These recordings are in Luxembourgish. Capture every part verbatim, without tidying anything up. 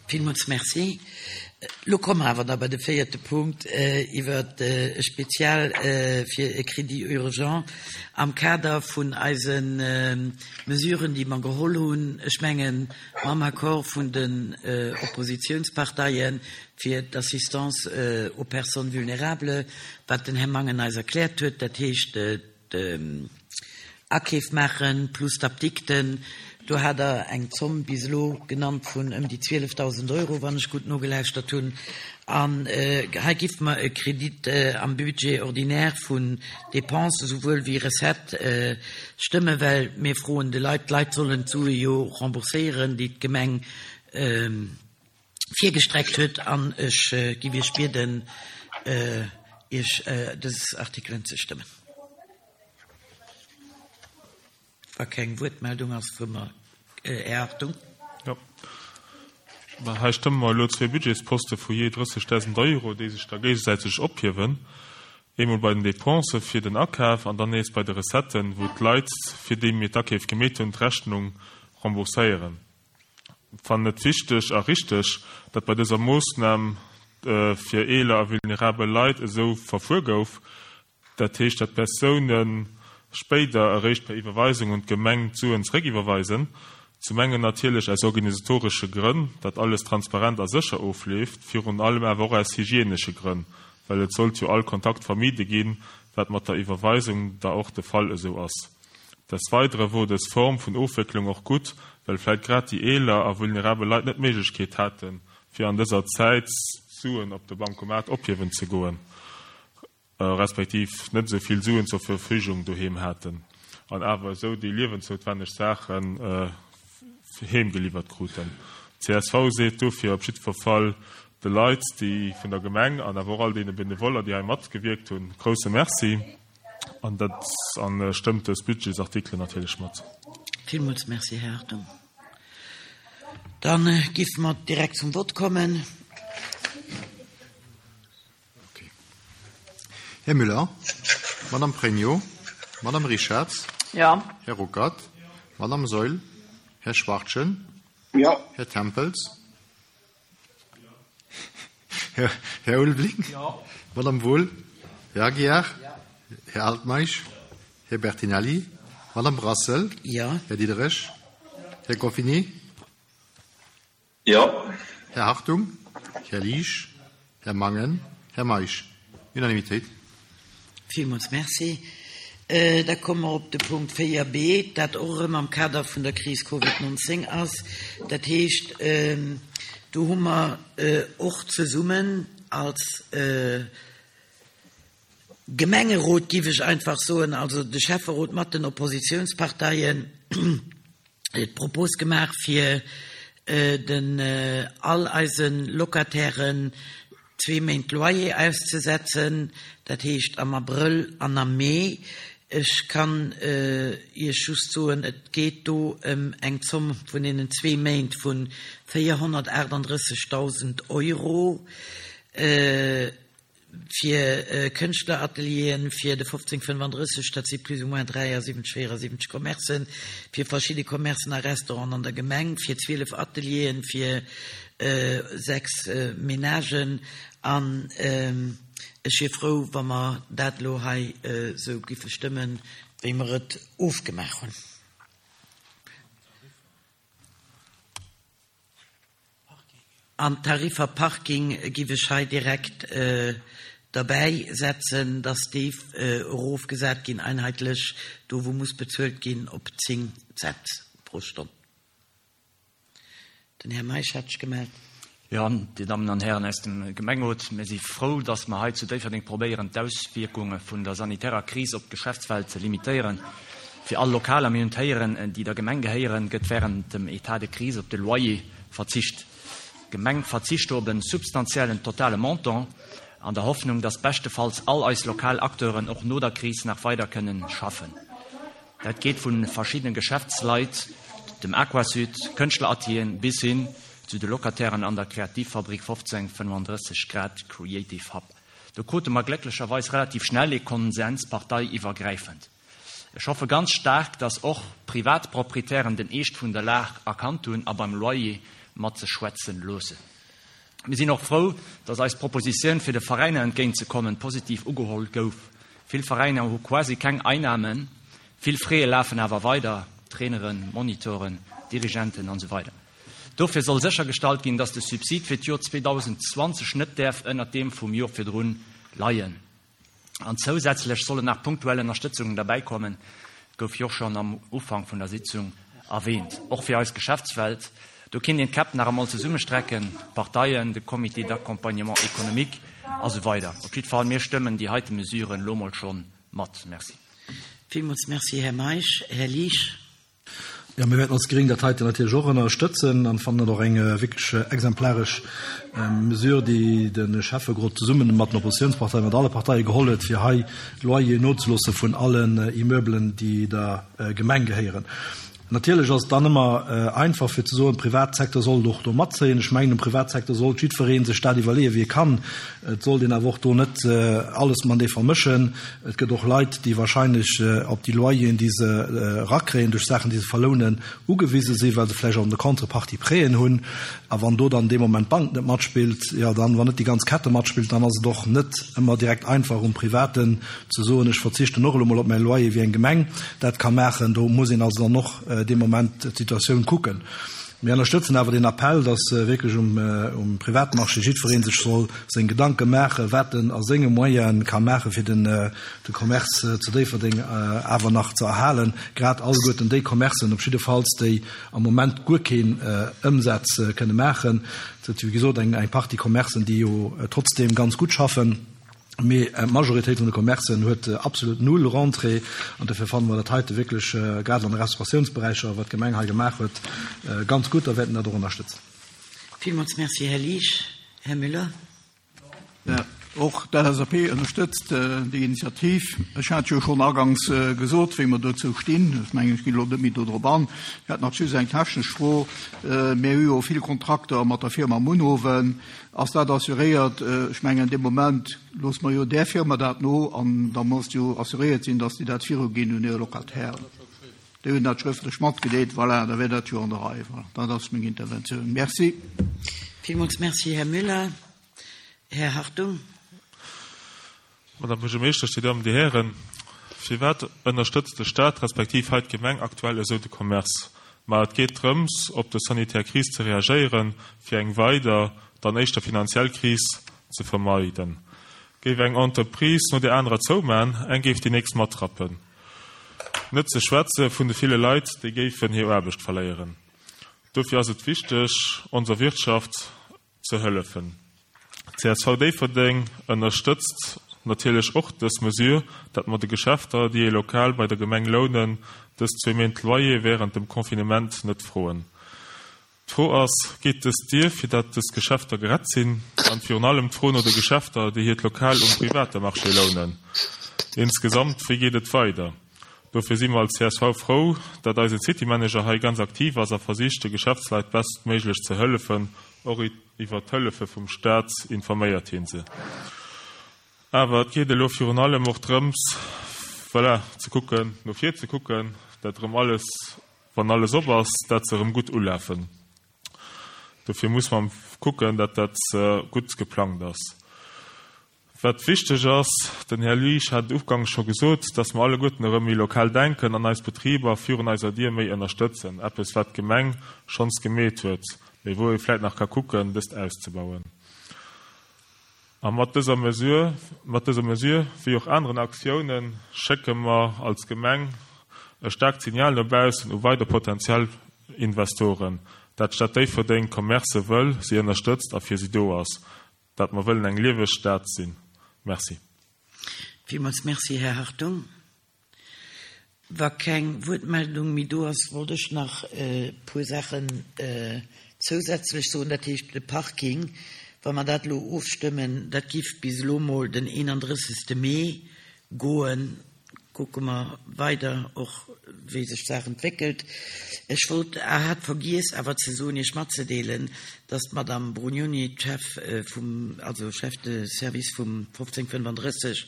Villmools Merci. Lo komme mer awer da bei de véierte Punkt iwwer e Spezial fir e Crédit urgent am Kader vun eise Mesuren, déi mer geholl hunn, ech mengen, mam Accord vun den Oppositionsparteien, fir d'Assistance aux personnes vulnérables, wat den Här Mangen eis erkläert huet, dat heescht d'Akeef maachen plus d'Apdikten. Do hat Der eng Zomm bis elo genannt vun ëm déi zwielefdausend Euro, wann ech gutt nogelauschtert hunn. An hei giffe mer e Kredit am Budget ordinaire vun Dépenses esouwuel wéi Recettë stëmmen, well mir froen de Leit, d'Leit sollen d'Sue jo rembourséieren, déi d'Gemeng virgestreckt huet. An ech giff Iech bieden, Iech dës Artikelen ze stëmmen. Wa keng Wuertmeldung ass, froe mer Här Hartung. Jo. Mä hei stëmme mer elo zwee Budgetsposte vu jee drëssegdausend Euro, déi sech da géigesäiteg ophiewen, eemol bei den Dépensë fir den Akaf an dann nees bei de Recetten, wou d'Leit, fir déi mir d'Akeef gemeet hunn, d'Rechnung rembourséieren. Fannen et wichteg a richteg, datt bei dëser Moossnam fir eeler a vulnerabel Leit esou verfuer gouf, dat heescht, datt d'Persoune spéider eréischt per Iwwerweisung un d'Gemeng d'Suen zeréckiwwerweisen. Zum engen natierlech aus organisatoresche Grënn, datt alles transparent a sécher ofleeft, virun allem awer och aus hygienesche Grënn, well et sollt jo all Kontakt vermide ginn, wat mat der Iwwerweisung da och de Fall esou ass. Des Weidere wor dës Form vun Ofwécklung och gutt, well vläit grad déi eeler a vulnerabel Leit net d'Méiglechkeet haten, fir an dëser Zäit Suen op de Bancomat ophiewen ze goen, respektiv net esou vill Suen zur Verfügung doheem haten an awer esou déi liewensnoutwenneg Saachen heem geliwwert kruten. Csv seet dofir op jiddwer Fall de Leit, déi vun der Gemeng an awer och all deene Benevoller, déi hei matgewierkt hunn, grousse Merci an dat an stëmmt dës Budgetsartikelen natierlech mat. Villmools Merci, Här Hartung. Da géife mer direkt zum Vott kommen. Här Müller, Madame Pregno, Madame Richarz, Ja. Här Ruckert, Madame Saeul, Här Schwachtgen, Ja. Här Tempels, Här, Här Ulveling, Ja. Madame Wohl, Här Aguiar, Här Altmeisch, Här Bertinelli, Madame Brassel, Ja. Här Diderich, Här Goffinet, Ja. Här Hartung, Här Liesch, Här Mangen, Här Meisch. Unanimitéit. Villmools Merci. Da komme mer op de Punkt véier b, dat och erëm am Kader vun der Kris Covid nonzéng ass. Dat heescht, do hu mer och zesummen als Gemengerot, géif ech einfach soen, also de Schäfferot mat den Oppositionsparteien, d'Propos gemaach, fir den all eise Locatairen zwee Méint Loyer auszesetzen, dat heescht am Abrëll an am Mee. Ech kann Iech just soen, et geet do ëm eng Zomm vun deenen zwee Méint vu véierhonnertaachtanddrëssegdausend Euro fir Kënschtleratelieren, fir de fofzéng fënnefandrësseg, dat si plus ou moins dräiasiwwenzeg, véierasiwwenzeg Commercen, fir verschidde Commercen a Restauranten an der Gemeng, fir zwielef Atelieren, fir sechs Menagen. An ech wier frou, wa mer dat elo hei esou giffe stëmmen, wéi mer et ofgemaach hunn. An d'Tariffer Parking giff ech hei direkt derbäi setzen, dass déi erofgesat ginn, einheetlech, do wou muss bezuelt ginn, op zéng Cent pro Stonn. Den Här Meisch hat sech gemellt. Jo, Dir Dammen an Hären aus dem Gemengerot, mir si frou, dass mer hei zu Déifferdeng probéieren, d'Auswierkunge vun der sanitärer Kris op d'Geschäftswelt ze limitéieren. Fir all Lokaler, mir hunn d'héieren, déi der Gemeng gehéieren, gëtt wärend dem État de crise op de Loyer verzicht. D'Gemeng verzicht do op e substantiellen totale Montant, an der Hoffnung, dass beschtefalls all eis lokal Acteuren och no der Kris nach weider kënnen schaffen. Dat geet vu verschiddene Geschäftsleit, dem Aquasud, Kënschtleratelieren bis hin zu de Locatairen an der Kreativfabrik fofzéng fënnefandrësseg Grad Creative Hub. Do krute mer glécklecherweis relativ schnell ee Konsens parteiiwwergräifend. Ech hoffe ganz staark, dass och Privatproprietären den Eescht vun der Lag erkannt hunn a beim Loyer matzeschwätzen loossen. Mir sinn och frou, dass eis Propositioun fir de Veräiner entgéintzekommen positiv ugeholl gouf. Vill Veräiner hu quasi keng Einnamen, vill Frais lafen awer weider, Traineren, Moniteuren, Dirigenten an esou weider. Dofir soll séchergestallt ginn, dass de Subsid fir d'Joer zweedausendzwanzeg net däerf ënnert deem vum Joer virdrun leien. An zousätzlech sollen nach punktuell Ënnerstëtzungen derbäikommen, gouf jo och schonn am Ufank vun der Sitzung erwähnt, och fir eis Geschäftswelt. Do kinnt een d'Käpp nach emol zesummestrecken, d'Parteien, de Comité d'accompagnement économique a sou weider. Op jiddwer Fall, mir stëmmen déi heite Mesuren elo mol schonn mat. Merci. Villmools Merci, Här Meisch. Här Liesch. Jo, mir wäerten als Gréng dat heiten natierlech och ënnerstëtzen an fannen et och eng wierklech exemplaresch Mesure, déi de Schäfferot zesumme mat den Oppositionsparteien, mat alle Parteie geholl huet, fir hei Loyer nozeloosse vun allen Immeubelen, déi der Gemeng gehéieren. Natierlech ass et dann ëmmer einfach fir ze soen, de Privatsecteur sollt och do matzéien. Ech mengen, um Privatsecteur sollt jiddweree sech dat iwwerleeën, wéi e kann. Et sollt een awer och do net alles matenee vermëschen. Et gëtt och Leit, déi wahrscheinlech op déi Loyeren, déi se erakréien duerch Saachen, déi se verlounen, ugewise sinn, well se vläicht och an der Contrepartie Prêten hunn. A wann do dann dee Moment d'Bank net matspillt, jo dann, wann net déi ganz Kette matspillt, dann ass et och net ëmmer direkt einfach um Privaten ze soen, ech verzichten och elo mol op mäi Loyer, wéi eng Gemeng dat ka maachen. Do muss een also dann och dee Moment d'Situatioun kucken. Mir ënnerstëtzen awer deen Appell, dass wierklech um Privatmarché jiddweree sech soll seng Gedanke maachen, wat en a senge Moyene ka maachen, fir de Commerce zu Déifferdeng awer nach ze erhalen, grad alleguerten déi Commercen op jiddefalls, déi am Moment guer keen Ëmsaz kënne maachen. Et sinn, wéi gesot, eng Partie Commercen, déi jo trotzdeem ganz gutt schaffen. Mee d'Majoritéit vun de Commercen huet absolut null Rentrée. An dofir fanne mer dat heite wierklech, grad an de Restauratiounsberäicher, wat d'Gemeng hei gemaach huet, ganz gutt a wäerten dat och ënnerstëtzen. Villmools Merci, Här Liesch. Här Müller. Och d'L S A P ënnerstëtzt déi Initiativ. Ech hat jo schonn aganks gesot, wéi mer dozou stinn. Ech mengen, ech ginn elo net méi do drop an. Ech hätt nach just eng technesch Fro. Mir hu jo vill Kontrakter mat der Firma Munhowen. Ass dat assuréiert? Ech mengen, dee Moment loosse mer jo där Firma dat no an da muss jo assuréiert sinn, dass déi dat viruginn un hir Locatairen. Déi hunn dat schrëftlech matgedeelt. Voilà, da wär dat jo an der Rei. Voilà, dat ass meng Interventioun. Merci. Villmools Merci, Här Müller. Här Hartung. Madame Buergermeeschtesch, Dir Dammen, Dir Hären, firwat ënnerstëtzt de Staat respektiv hei d'Gemeng aktuell esou de Commerce? Ma et geet drëms, op de sanitär Kris ze reagéieren, fir eng weider, dann éischter finanziell Kris ze vermeiden. Géif eng Entreprise no der anerer zouman, eng géif déi nächst matrappen. Net ze schwätze vun de ville Leit, déi géifen hir Aarbecht verléieren. Dofir ass et wichteg, onser Wirtschaft ze hëllefen. C S V Déifferdeng ënnerstëtzt natierlech och dës Mesure, dat mer de Geschäfter, déi ee Lokal bei der Gemeng lounen, dës zwee Méint Loyer wärend dem Confinement net froen. D'Fro ass, Geet dëst duer, fir dat dës Geschäfter gerett sinn? An virun allem d'Fro no de Geschäfter, déi hiert Lokal um private Marché lounen. Insgesamt, wéi geet et weider? Dofir si mer als C S V frou, dat eise City Manager hei ganz aktiv ass a versicht, de Geschäftsleit bestméiglech ze hëllefen, och iwwer d'Hëllefe vum Staat informéiert hie se. Awer et geet elo virun allem och drëms, voilà, ze kucken, no vir ze kucken, dat erëm alles, wann alles op ass, dat se erëm gutt ulafen. Dofir muss man kucken, dat dat gutt geplangt ass. Wat wichteg ass, den Här Liesch hat et ugangs scho gesot, dass mer alleguerten erëm méi lokal denken an eis Betriber virun eiser Dier méi ënnerstëtzen, eppes wat d'Gemeng schonns gemeet huet, mee wou ee vläit nach ka kucken, dëst auszebauen. A mat dëser Mesure, mat dëser Mesure, wéi och aneren Aktiounen, schécke mer als Gemeng e staarkt Signal no baussen u weider potentiell Investoren, dat d'Stad Déifferdeng Commercë wëll, si ënnerstëtzt a fir si do ass, dat mer wëllen eng lieweg Stad sinn. Merci. Villmools Merci, Här Hartung. Wa keng Wuertmeldung méi do ass, wollt ech nach e puer Saachen zousätzlech soen. Dat heescht, de Parking, wa mer dat elo ofstëmmen, dat giff bis elo mol den eenandrëssegste Mee goen. Kucke mer weider och, wéi sech d'Saach entwéckelt. Ech wollt, hat vergiess awer ze soen, Iech matzedeelen, dass d'Madame Brugnoni, d'Chef vum, also Chef de service vum fofzéng fënnefandrësseg,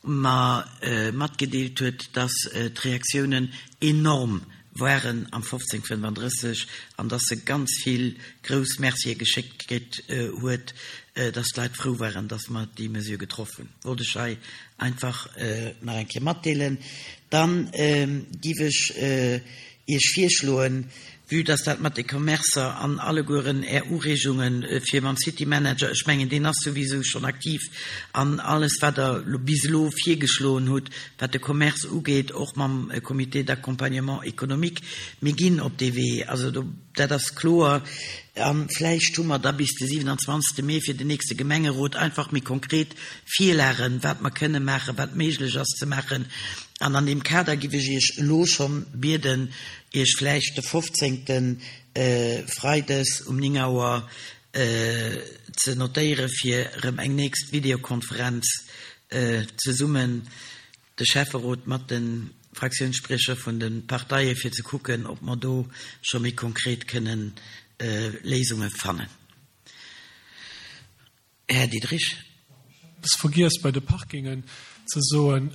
mer matgedeelt huet, dass d'Reaktiounen enorm waren am fofzéng fënnefandrësseg an dass se ganz vill grouss Mercië geschéckt kritt huet, dass d'Leit frou waren, dass mer déi Mesure getroff hunn. Wollt ech hei einfach nach eng Kéier matdeelen. Dann giff ech Iech virschloen, vue dass dat mat de Commercer an allegueren Är Ureegungen fir mam City Manager, ech mengen deen ass souwisou schonn aktiv, an alles wat Der bis elo virgeschloen hutt, wat de Commerce ugeet, och mam Comité d'accompagnement économique, mir ginn op dee Wee, also do, dat ass kloer. A vläicht hu mer da bis de siwenanzwanzegste Mee fir den nächste Gemengerot einfach méi konkret Virlagen, wat mer kënne maachen, wat méiglech ass ze maachen. An an deem Kader giff ech Iech elo schonn bieden, Iech vläicht de fofzéngten Freides um néng Auer ze notéiere fir erëm eng nächst Videokonferenz zesummen, de Schäfferot mat de Fraktiounsspriecher vun de Parteien, fir ze kucken, ob mer do scho méi konkret kënnen Léisunge fannen. Här Diderich. Eppes vergiess bei de Parkingen ze soen.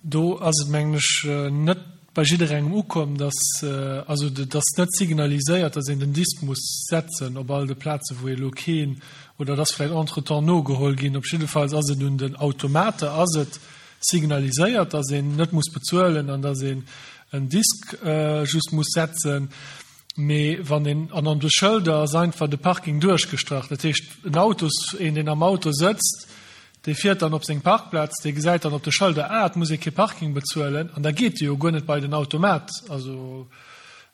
Do ass et, mengen ech, net bei jidderengem ukomm, dass, also et ass net signaliséiert, dass een den Disk muss setzen op all de Plazen, wou ee elo keen, oder et ass vläicht entretemps nogeholl ginn. Op jiddefalls ass et un den Automate ass et signaliséiert, dass een net muss bezuelen an dass een en Disk just muss setzen. Mee wann een, an an de Schëlder ass einfach de Parking duerchgestrach. Dat heescht, en Autos, een deen am Auto sëtzt, dee fiert dann op seng Parkplaz, dee gesäit dann op de Schëlder, ah, et muss ee kee Parking bezuelen, an da geet e jo guer net bei den Automat. Also,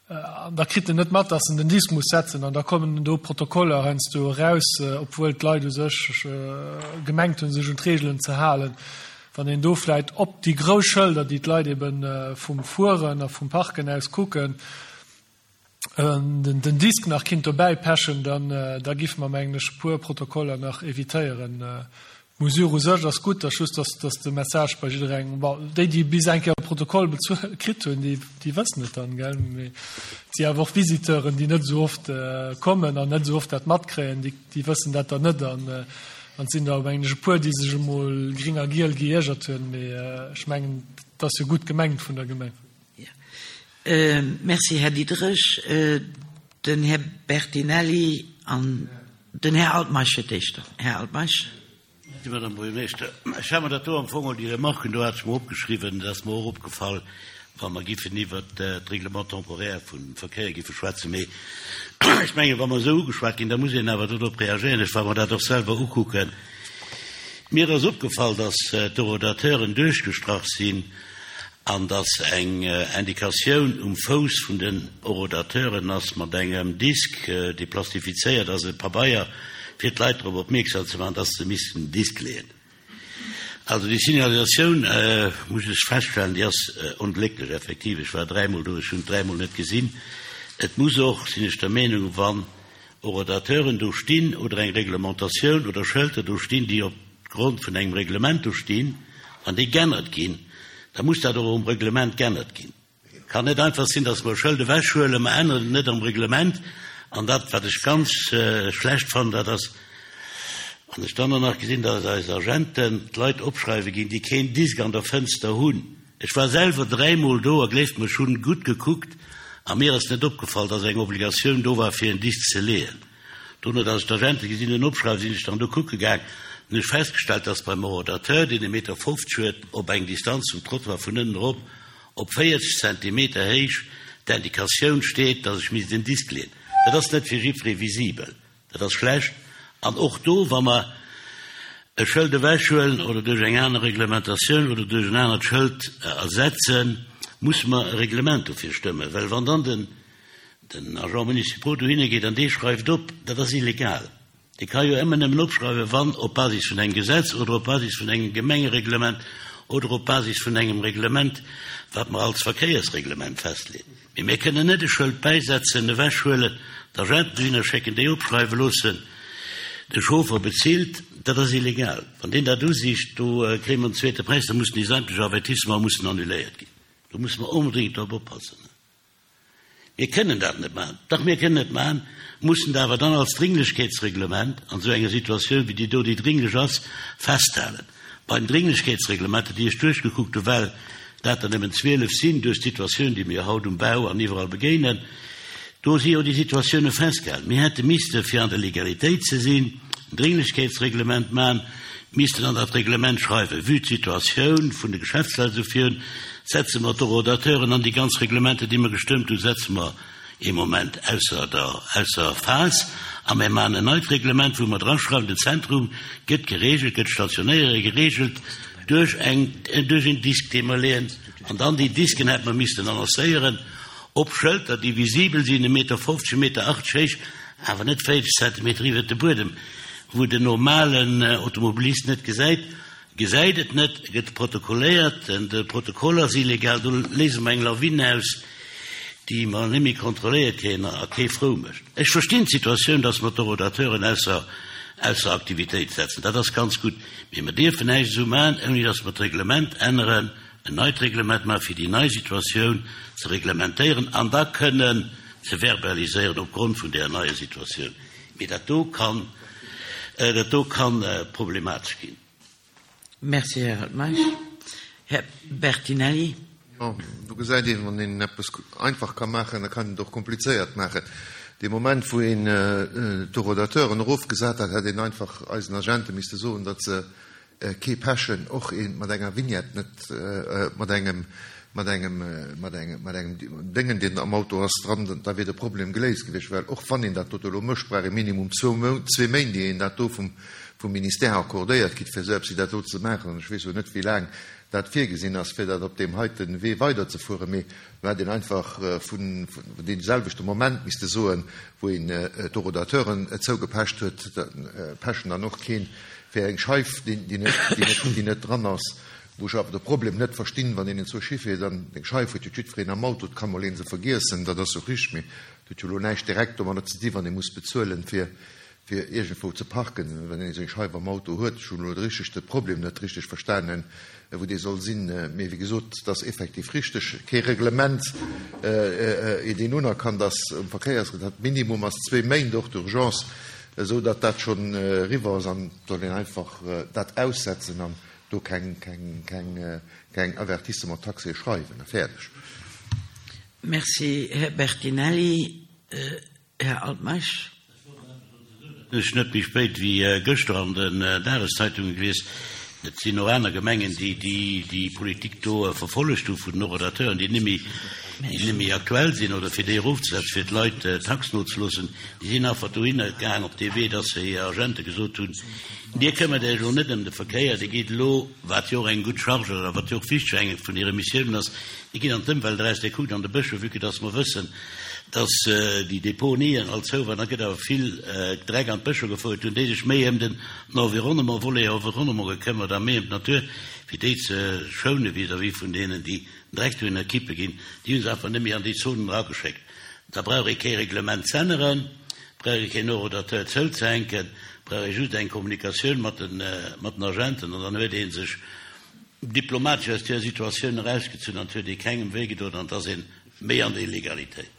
an da kritt en net mat, dass en den Disk muss setzen, an da kommen do Protokoller heiansdo eraus, obwuel d'Leit u sech gemengt hunn, sech un d'Reegelen ze halen. Wann een do vläicht op déi grouss Schëlder, déi d'Leit ebe vum Fueren a vum Parken aus kucken, den Disk nach kinnt dobäi pechen, dann da giffe mer, mengen ech, e puer Protokoller nach evitéieren. D'Mesure u sech ass gutt, ass just, dass dass de Message bei jidderengem, bon, déi, déi bis eng Kéier e Protokoll bezuel kritt hunn, déi déi wëssen et dann, gell, mee et si awer och Visiteuren, déi net esou oft kommen an net esou oft dat matkréien, déi déi wëssen dat dann net an an et sinn der, mengen ech, e puer, déi sech emol gring a giel geiergert hunn, mee ech mengen, et ass jo gutt gemengt vun der Gemeng. Merci, Här Diderich. Den Här Bertinelli an den Här Altmeisch fir d'éischt. Här Altmeisch. Merci, Madame Buergermeeschter. Ech hat mer dat do am Fong, déi Remarken do hat ech mer opgeschriwwen. Et ass mer och opgefall, wa mer giffen iwwert d'Règlement temporaire vum Verkéier giffe schwätzen. Mee ech mengen, wa mer esou ugeschwat ginn, da muss een awer dodrop reagéieren. Ech war mer dat och selwer ukucken. Mir ass opgefall, dass d'Horodateuren duerchgestrach sinn an dass eng Indikatioun um Fouss vun den Horodateuren ass mat engem Disk, dee plastifizéiert ass, e Pabeier, fir d'Leit drop opmierksam ze maachen, dass se missten den Disk leeën. Also déi Signalisatioun, muss ech feststellen, déi ass onglécklech, effektiv. Ech war dräimol do, ech hunn et dräimol net gesinn. Et muss och, sinn ech der Meenung, wann Horodateuren do stinn oder eng Reglementatioun oder Schëlter do stinn, déi op Grond vun engem Reglement do stinn, wann déi g'ännert ginn, da muss dat och um Reglement g'ännert ginn. Et kann net einfach sinn, dass mer e Schëld ewechhuelen, mer änneren et net am Reglement. An dat, wat ech ganz schlecht fannen, dat ass, wann ech dann och nach gesinn, dass eis Agenten d'Leit opschreiwe ginn, déi keen Disk an der Fënster hunn. Ech war selwer dräimol do a gleeft mer, ech hunn gutt gekuckt a mir ass net opgefall, dass eng Obligatioun do war, fir en Disk ze leeën. Dono, dass ech d'Agente gesinn hunn opschreiwen, sinn ech dann do kucke gaang. Dann hunn ech festgestallt, dass beim Horodateur, deen e Meter fofzeg huet, op eng Distanz zum Trottoir vun ënnen erop op véierzeg Zentimeter héich d'Indikatioun steet, dass ech misst en Disk leeën. Dat ass net fir jiddweree visibel. Dat ass schlecht. An och do, wa mer e Schëld ewechhuelen oder duerch eng aner Reglementatioun oder duerch en anert Schëld ersetzen, musse mer e Reglement dofir stëmmen. Well wann dann den den Agent municipal dohinner geet an dee schreift op, dat ass illegal. Dee ka jo ëmmer nëmmen opschreiwen, wann op Basis vun engem Gesetz oder op Basis vun engem Gemengereglement oder op Basis vun engem Reglement, wat mer als Verkéiersreglement festleeën. Mee mir kënnen net e Schëld bäisetzen, ewechhuelen, d'Agenten dohinner schécken, déi opschreiwe loossen, de Chauffer bezilt. Dat ass illegal. Wann deen dat usicht, do kréie mer en zweete Präis, da mussen déi sämtlech Avertissements mussen annuléiert ginn. Do musse mer onbedéngt drop oppassen. Mir kënnen dat net maachen. Dach, mir kënnen et maachen, mussen et awer dann als Dringlechkeetsreglement an esou enger Situatioun wéi déi do, déi dringlech ass, festhalen. Beim Dringlechkeetsreglement, dat déi ech duerchgekuckt hu well Dat der nëmmen zwielef sinn duerch d'Situatioun, déi mir haut um Bau an iwwerall begéinen. Do si jo déi Situatioune festgehalen. Mir hätte misste, fir an der Legalitéit ze sinn, en Dringlechkeetsreglement maachen, missten an dat Reglement schreiwen, vue d'Situatioun vun de Geschäftsleit esou virun, setze mer d'Horodateuren an déi ganz Reglementer, déi mer gestëmmt hunn, setze mer ee Moment ausser der, ausser Phas a mir maachen en neit Reglement, wou mer draschreiwen, den Zentrum gëtt geregelt, gëtt d'Stationéiere geregelt duerch eng, duerch een Disk, dee mer leeën. An dann déi Disken hätte mer missten annoncéieren op Schëlter, déi visibel sinn, e Meter fofzeg, e Meter achtzeg héich, awer net véierzeg Zentimeter iwwert de Buedem, wou den normalen Automobilist net gesäit, gesäit et net, gëtt protokolléiert, de Protokoll ass illegal, do léise mer eng Lawine aus, déi mer net méi kontrolléiert kréien a kee frou mécht. Ech verstinn d'Situatioun, dass mer d'Horodateuren ausser, ausser Aktivitéit setzen, dat ass ganz gutt, mee mer dierfen näischt esou maachen, ouni dass mer d'Reglement änneren, en neit Reglement maachen, fir déi nei Situatioun ze reglementéieren an da kënnen ze verbaliséieren opgrond vun där neier Situatioun. Mee dat do kann, dat do kann problematesch ginn. Merci, Här Altmeisch. Här Bertinelli. Jo, do gesäit een, wann een eppes einfach ka maachen, da kann een et och komplizéiert maachen. Dee Moment, wou een d'Horodateuren erofgesat hat, hätt een einfach eisen Agente misste soen, datt se kee pechen, och ee mat enger Vignette net, mat engem, mat engem, mat engem, mat engem Déngen, deen am Auto ass, dran, da wier de Problem geléist gewiescht. Well och wann een dat dote elo mécht, brauch ee minimum zwou Mount, zwee Méint, ier een dat do vum, vum Ministère accordéiert kritt, fir esou eppes wéi dat do ze maachen. An ech weess jo net, wéi laang dat virgesinn ass, fir dat op deem heite Wee weiderzefueren, mee do hätt een einfach vun deem selwechte Moment misste soen, wou een d'Horodateuren zougepecht huet, da pechen dann och keen fir eng Scheif, déi net dran ass, wou ech awer de Problem net verstinn, wann een zwou Schiff huet an eng Scheif huet jo jiddwereen am Auto, et ka mol een se vergiessen, dat ass jo richteg, mee et huet jo elo näischt direkt domadder ze di wann ee muss bezuelen, fir fir iergendwou ze parken, wann een seng Scheif am Auto huet. Ech hunn elo richteg de Problem net richteg verstanen, wou dee soll sinn. Mee wéi gesot, et ass effektiv richteg, kee Reglement, deen unerkannt ass um Verkéiersgesetz. Dat Minimum ass zwee Méint, och d'Urgence, esou datt dat schonn eriwwer ass. An et soll een einfach dat aussetzen an do keng, keng, keng, keng Avertissement taxé schreiwen a fäerdeg. Merci, Här Bertinelli. Här Altmeisch. Ech net méi spéit wéi gëschter an den Dageszeitunge gelies, et sinn och aner Gemengen, déi déi Politik do verfollegt hu vun den Horodateuren, déi net méi, déi net méi aktuell sinn oder fir déi erofzesetzen, fir d'Leit d'Tax nozeloossen. Déi sinn einfach dohinner gaang op dee Wee, dass se hir Agente gesot hunn, Dir këmmert Iech elo net ëm de Verkéier, Dir gitt elo, wat jo och eng gutt Charge oder wat jo och wichteg eng vun hire Missiounen ass, Dir gitt an d'Ëmwelt eraus, Dir kuckt an de Bëscher, vue que dass mer wëssen, dass déi Deponien all zou waren, da gëtt awer vill Dreck an d'Bëscher gefouert, hunn déi sech méi ëm den Environnement, Volet Environnement gekëmmert a méi ëm d'Natur, fir déi ze schoune vis-à-vis vun deenen, déi den Dreck dohinner kippe ginn. Déi hu se einfach net méi an déi Zonen erageschéckt. Da brauch ee kee Reglement z'änneren, brauch ee keen Horodateur zouzehänken, brauch ee just eng Kommunikatioun mat den, mat den Agenten an dann huet ee sech diplomatesch aus där Situatioun erausgezunn an et huet ee kengem wéigedoen an et ass ee méi an der Illegalitéit.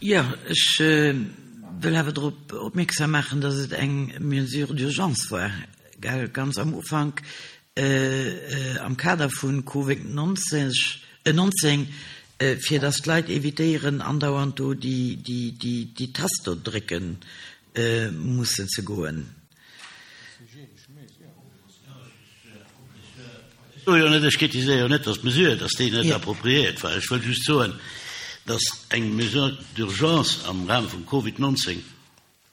Jo, ech wëll awer drop opmierksam maachen, dass et eng Mesure d'urgence war, gell, ganz am Ufank am Kader vu Covid neunzehn, fir dass d'Leit évitéieren, andauernd do déi Tast do drécke mussen ze goen. Ech soe jo net, ech kritiséiere jo net, dass d'Mesure, dass déi net appropriéiert war. Ech wëll just soen, dass eng Mesure d'urgence am Rahme vum Covid neunzehn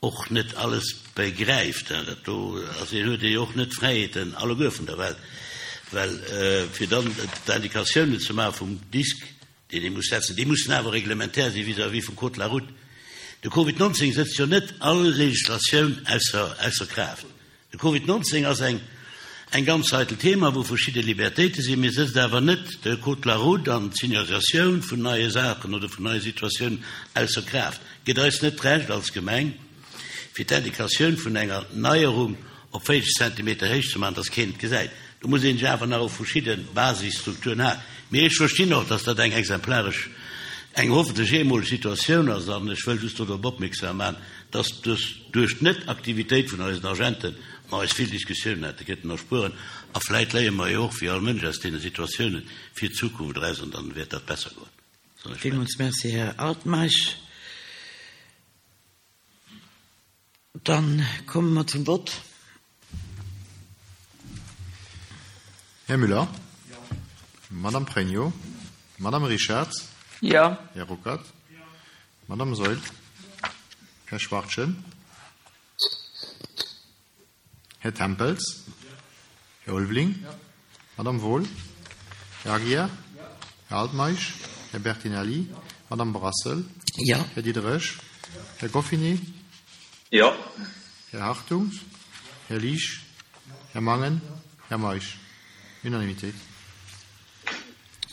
och net alles begräift. Dat do ass een, huet ee jo och net d'Fräiheeten alleguer vun der Welt, well fir dann d'Indikatiounen ze maache vum Disk, deen ee muss setzen, déi mussen awer reglementär si vis-à-vis vum Code de la route. De Covid neunzehn setzt jo net all Legislatioun ausser, ausser Kraaft. De Covid neunzehn ass eng, eng ganz heikel Thema, wou verschidde Libertéite sinn, mee setzt awer net de Code de la route an d'Signalisatioun vun neie Saachen oder vun neie Situatiounen ausser Kraaft. Gëtt eis net d'Recht als Gemeng, fir d'Indikatioun vun enger Neierung op véierzeg Zentimeter héich ze maachen, dass keen et gesäit. Do muss een sech awer nach op verschidde Basisstrukturen halen. Mee ech verstinn och, dass dat eng exemplaresch, eng hoffentlech eemoleg Situatioun ass. An ech wëll just dorop opmierksam maachen, dass duerch d'Net-Aktivitéit vun eisen Agenten mer eis vill Diskussiounen hätte kënnen erspueren. A vläit léiere mer jo och, wéi all Mënsch, aus deene Situatiounen fir d'Zukunft eraus an dann wäert dat besser goen. Villmools Merci, Här Altmeisch. Dann komme mer zum Vott. Här Müller? Madame Pregno? Madame Richarz? Jo. Här Ruckert? Madame Saeul? Här Schwachtgen? Här Tempels? Här Ulveling? Madame Wohl? Här Aguiar? Här Altmeisch? Här Bertinelli? Madame Brassel? Jo. Här Diderich? Här Goffinet? Jo. Här Hartung? Här Liesch? Här Mangen? Här Meisch? Unanimitéit.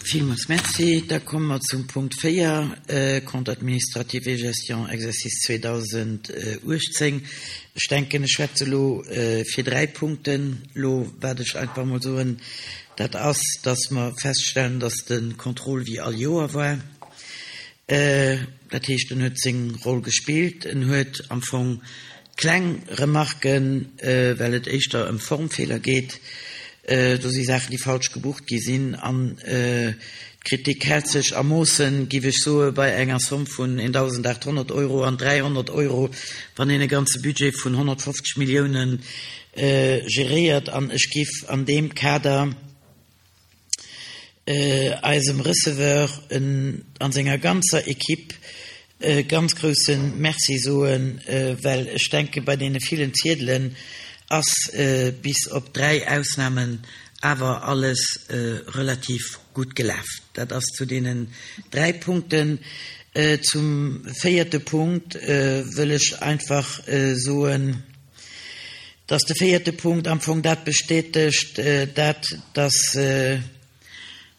Villmools Merci. Da komme mer zum Punkt véier, Compte administratif et gestion exercice zweedausenduechtzéng. Ech denken, ech schwätze elo fir dräi Punkten. Elo wat ech einfach emol soen, dat ass, dass mer feststellen, dass de Contrôle wéi all Joer war. Dat heescht, en huet seng Roll gespillt. En huet am Fong kleng Remarken, well et éischter ëm Formfeeler geet. Do si Saachen, déi falsch gebucht gi sinn. An d'Kritik hält sech a Moossen, géif ech soen, bei enger Somm vun eendausendachthonnert Euro an dräihonnert Euro, wann een e ganze Budget vun honnertfofzeg Milliounen geréiert. An ech géif an deem Kader eisem Receveur an senger ganzer Equipe e ganz grousse Merci soen, well ech denke bei deene villen Ziedelen ass bis op dräi Ausnamen awer alles relativ gutt gelaf. Dat ass zu deenen dräi Punkten. Zum véierte Punkt wëll ech einfach soen, dass de véierte Punkt am Fong dat bestätegt, dat, dass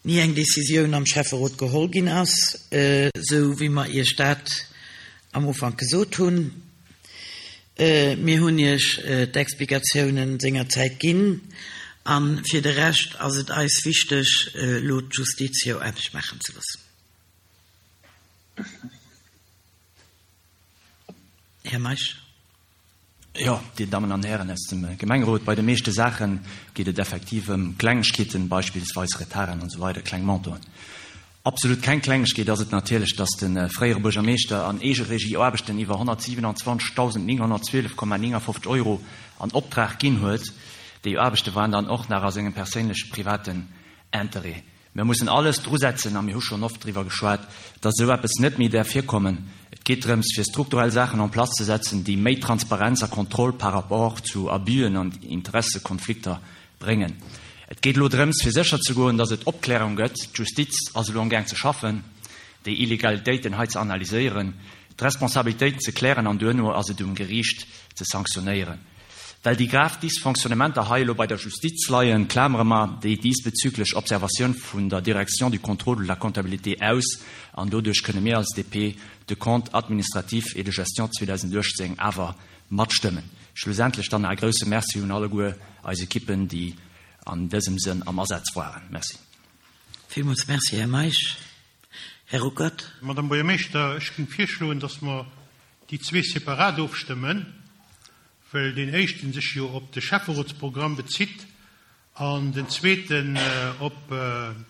ni eng Décisioun am Schäfferot geholl ginn ass, esou wéi mer Iech dat am Ufank gesot hunn. Mir hunn Iech d'Explikatiounen sengerzäit ginn a fir de Rescht ass et eis wichteg, elo d'Justiz hir Aarbecht maachen ze loossen. Här Meisch. Jo, Dir Dammen an Hären aus dem Gemengerot, bei de meeschte Saache geet et effektiv ëm Klengegkeeten, beispillsweis Retarden an esou weider, kleng Montanten. Absolut keng Klengegkeet ass et natierlech, datt de fréiere Buergermeeschter an Eegeregie Aarbechten iwwer honnertsiwenanzwanzegdausendnénghonnertzwielef Komma néngafofzeg Euro an Optrag ginn huet. Déi Aarbechte waren dann och nach a sengem perséinleche privaten Interêt. Mir mussen alles drusetzen, a mir hu schonn oft driwwer geschwat, datt esou eppes net méi däerf virkommen. Et geet drëms, fir strukturell Saachen en place ze setzen, déi méi Transparenz a Kontroll par rapport zu Abüen an Interessekonflikter bréngen. Et geet elo drëms, fir sécher ze goen, datt et Opklärung gëtt. D'Justiz ass elo amgaang ze schaffen, déi Illegalitéiten hei ze analyséieren, d'Responsabilitéiten ze klären an duerno ass et um Geriicht ze sanktionéieren. Well déi grav Dysfonctionnementer hei elo bei der Justiz leien, klamere mer déi diesbezüglech Observatioun vun der Direction du contrôle de la comptabilité aus an doduerch kënne mir als D P de Compte administratif et de gestion zweedausenduechtzéng awer matstëmmen. Schlussendlech dann e grousse Merci un alleguer eis Ekippen, déi an dësem Sënn am Asaz waren. Merci. Villmools Merci, Här Meisch. Här Ruckert. Madame Buergermeeschter, ech géing virschloen, dass mer déi zwee separat ofstëmmen, well deen éischten sech jo op de Schäfferotsprogramm bezitt an den zweeten op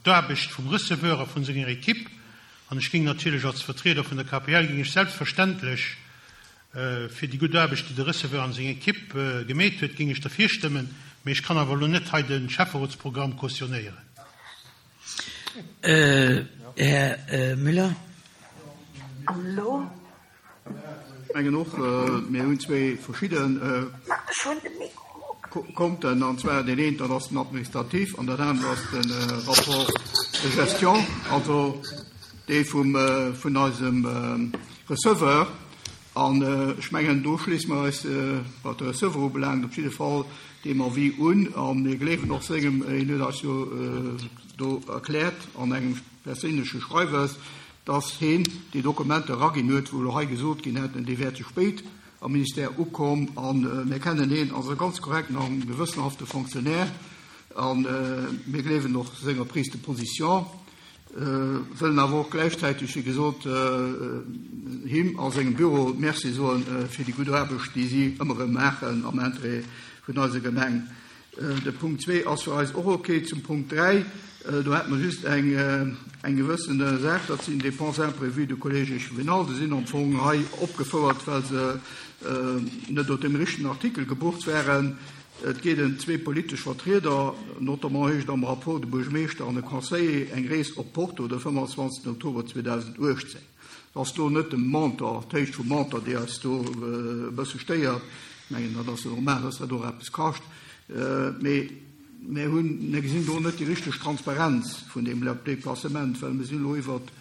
d'Aarbecht vum Receveur a vun senger Equipe. An ech géing natierlech als Vertrieder vun der K P L géing ech selbstverständlech fir déi gutt Aarbecht, déi de Receveur an seng Equipe gemeet huet, géing ech derfir stëmmen, mee ech kann awer elo net hei de Schäfferotsprogramm cautionnéieren. Här Müller. Hallo? Ech mengen och, mir hunn zwee verschidde Konten, an zwar deen een, dat ass den administratif, an dat anere ass de Rapport de gestion, also dee vum vun eisem Receveur. An ech mengen, do schléisse mer eis, wat de Receveur ubelaangt, op jidde Fall deem Avis un. A mir gleewen och sengem, hien huet eis jo do erkläert an engem perséinleche Schreiwes, dass hien déi Dokumenter eraginn huet, wou elo hei gesot ginn hätten, déi wär ze spéit am Ministère ukomm. A mir kennen hien als e ganz korrekten a gewëssenhafte Fonctionnaire a mir gleewen och senger Prise de position. Wëllen awer och gläichzäiteg, wéi gesot, him a sengem Büro Merci soen fir déi gutt Aarbecht, déi si ëmmer erëm maachen am Interêt vun eiser Gemeng. De Punkt zwee ass fir eis och ok. Zum Punkt dräi, do hätte mer just eng, eng gewëssen Saach, dat sinn Dépenses imprévues du Collège échevinal. Déi sinn am Fong hei opgefouert, well se net op deem richtegen Artikel gebucht waren. Et geet ëm zwee politesch Vertrieder, notamment heescht et am Rapport de Buergermeeschter an e Conseiller, eng Rees op Porto de fëmmenundzwanzegsten Oktober zweedausenduechtzéng. Et ass do net de Montant, d'Héicht vum Montant, déi eis do e bësse stéiert. Ech mengen, dat ass jo normal, dass dat och eppes kascht. Mee mir hunn, mir gesinn do net déi richteg Transparenz vun deem Deplacement, well mir sinn elo iwwert,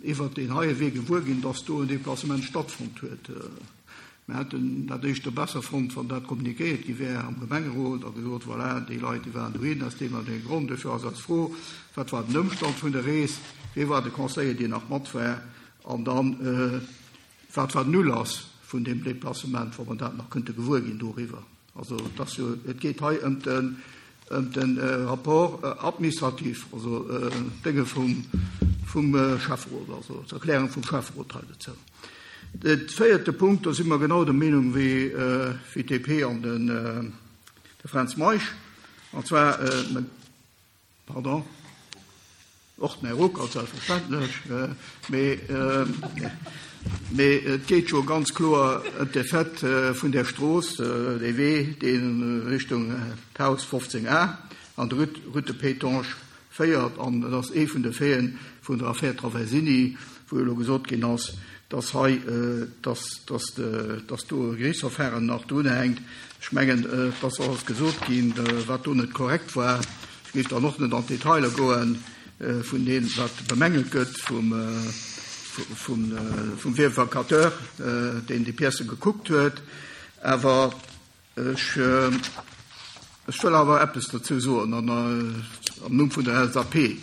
iwwert deen heie Wee gewuer ginn, dass do en Deplacement stattfonnt huet. Mir hätten dat éischter besser fonnt, wann dat kommunikéiert gi wär am Gemengerot a gesot, voilà, déi Leit, déi waren dohin aus deem an deem Grond. Dofir ass eis Fro, Wat war den Ëmstand vun der Rees? Wie war de Conseiller, deen nach mat war? An dann, wat war den Ulass vun deem Deplacement, wa mer dat nach kënnte gewuer ginn doriwwer? Also et ass jo, et geet hei ëm den, ëm den Rapport administratif, also d'Dénge vum, vum Schäfferot, also d'Erklärung vum Schäfferot hei dozou. De véierte Punkt, do si mer genau der Meenung wéi d'D P an de Fränz Meisch, an zwar, pardon, och den Här Ruckert selbstverständlech, mee et geet jo ganz kloer ëm d'Effet vun där Strooss, dee Wee, dee Richtung d'Haus fofzéng A an de Route de Pétange féiert. An et ass ee vun de Faiten vun der Affaire Traversini, wou elo gesot ginn ass, dass hei, dass, dass, dass do e Gerichtsverfahren nach drunhänkt. Ech mengen, et ass alles gesot ginn, wat do net korrekt war. Ech géif dann och net an d'Detailer goe vun deem, wat bemängelt gëtt vum, vum, vum Vérificateur, deen déi Piècë gekuckt huet. Awer ech, ech wëll awer eppes dozou soen an am Numm vun der L S A P.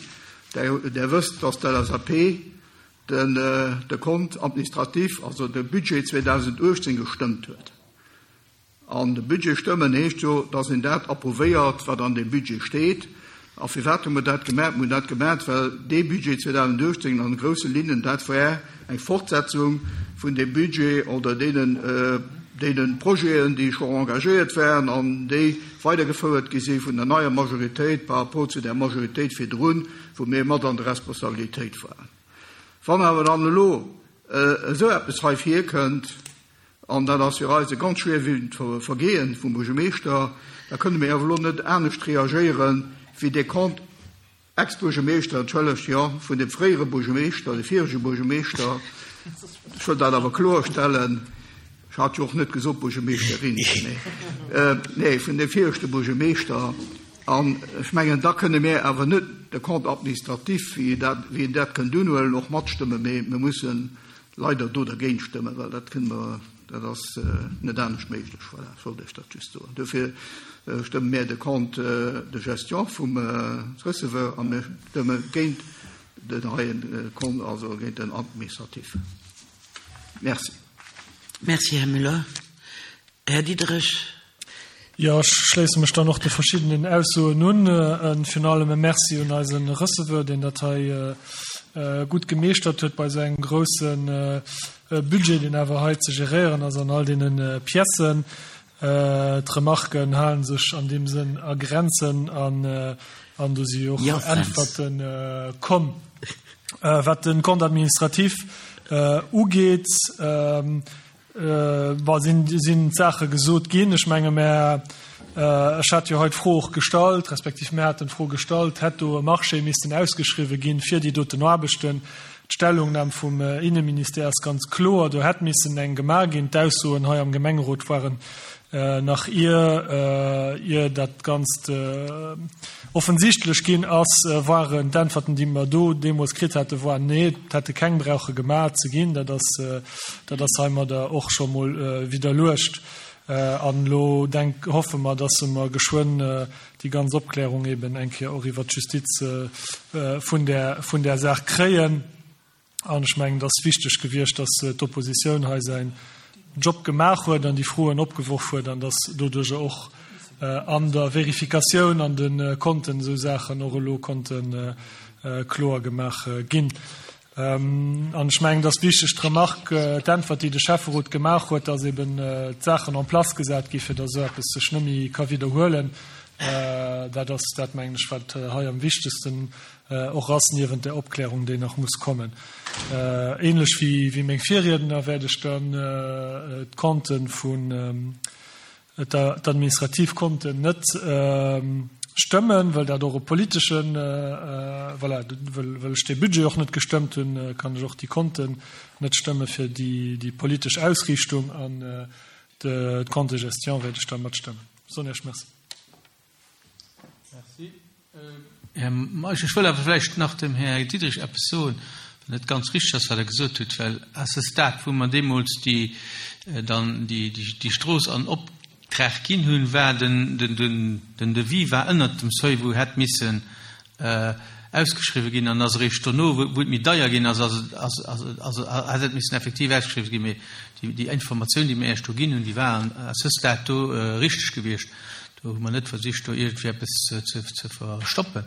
Der, der wësst, dass d'L S A P den, de Compte administratif, also de Budget zweedausenduechtzéng gestëmmt huet. An de Budget stëmmen heescht jo, dass een dat approuvéiert, wat an dem Budget steet. A firwat hu mer dat gemaach? Mir hunn dat gemaach, well dee Budget zweedausenduechtzéng an grousse Linnen dat war eng Fortsetzung vun dem Budget oder deenen, deene Projeten, déi scho engagéiert waren an déi weidergefouert gi si vun der neier Majoritéit par rapport zu der Majoritéit virdrun, wou mir mat an der Responsabilitéit waren. Wann awer dann elo esou eppes hei virkënnt, an dat ass fir eis e ganz schwerwiegend Vergehen vum Buergermeeschter, da kënne mir awer elo net anescht reagéieren, wéi de Compte Ex-Buergermeeschter, entschëllegt, jo, vun dem fréiere Buergermeeschter, de virege Buergermeeschter, ech wëll dat awer kloerstellen, ech hat jo och net gesot Buergermeeschterin, nee, nee, vun dem viregte Buergermeeschter, an ech mengen, da kënne mir awer net de Compte administratif, wéi dat, wéi een dat kënnt unhuelen, och matstëmmen, mee mir mussen leider do dergéint stëmmen, well dat kënne mer, dat ass net anescht méiglech. Voilà, ech wollt Iech dat just soen. Dofir stëmme mir de Compte de gestion vum Receveur a mir stëmme géint den heien Compte, also géint den administratif. Merci. Merci, Här Müller. Här Diderich. Jo, ech schléisse mech dann och de verschiddenen Aussoen un. Virun allem e Merci un eise Receveur, deen dat hei gutt gemeeschtert huet bei esou engem grousse Budget, deen awer hei ze geréieren ass an all deene Piècen. D'Remarken hale sech an deem Sënn a Grenzen an do si och Äntwerte komm. Wat de Compte administratif ugeet, Bon, sinn, sinn d'Saache gesot ginn. Ech menge mär, ech hat jo hei d'Fro och gestallt, respektiv mär haten d'Fro gestallt, hätt do e Marché missten ausgeschriwwe ginn fir déi doten Aarbechten. D'Stellungnam vum Inneministère ass ganz kloer, do hätt missen eng gemaach ginn. D'Aussoen hei am Gemengerot waren nach ier, ier dat Ganzt offensichtlech ginn ass, waren d'Äntwerten, déi mer do deemools kritt hate waren, nee, et hätte keng brauche gemaach ze ginn. Dat ass, dat ass heimadder och scho mol widderluecht. An elo denk, hoffe mer, dass mer geschwënn déi ganz Opklärung eben eng Kéier och iwwert d'Justiz vun där, vun där Saach kréien. An ech mengen, et ass wichteg gewiescht, dass d'Oppositioun hei säin Job gemaach huet an déi Froen opgeworf huet an dass doduerjer och an der Verifikatioun an de Konten esou Saachen och elo konnten kloer gemaach ginn. An ech mengen, et ass wichteg d'Remarque, d'Äntwert, déi de Schäfferot gemaach huet, dass eben d'Saachen en place gesat gi fir dass esou eppes sech net méi ka widderhuelen. Dat ass dat, mengen ech, wat hei am wichtegsten och ass, niewent der Opklärung, déi nach muss kommen. Ähnlech wéi meng Virriedner wäert ech dann d'Konten vun, d'administrativ Konten net stëmmen, well dat och e politeschen, voilà, well well ech dee Budget och net gestëmmt hunn, kann ech och déi Konten net stëmme fir déi déi politesch Ausriichtung an d'Compte de gestion wäert ech da matstëmmen. Soen Iech Merci. Merci. Här Meisch, ech wëll awer vläicht nach dem Här Diderich eppes soen, well net ganz richteg ass, wat Der gesot hutt, well à ce stade, wou mer deemools déi dann déi déi Strooss an op Trag ginn hunn, war den den Devis war ënnert dem Seuil, wou hätt missen ausgeschriwwen ginn, an ass eréischt dono, wou et méi deier ginn ass, ass et ass ass hätt et missen effektiv ausgeschriwwen ginn. Mee déi déi Informatioun, déi mir Iech do ginn hunn, déi war à ce stade do richteg gewiescht. Do hu mer net versicht, do iergendwéi eppes ze ze verstoppen.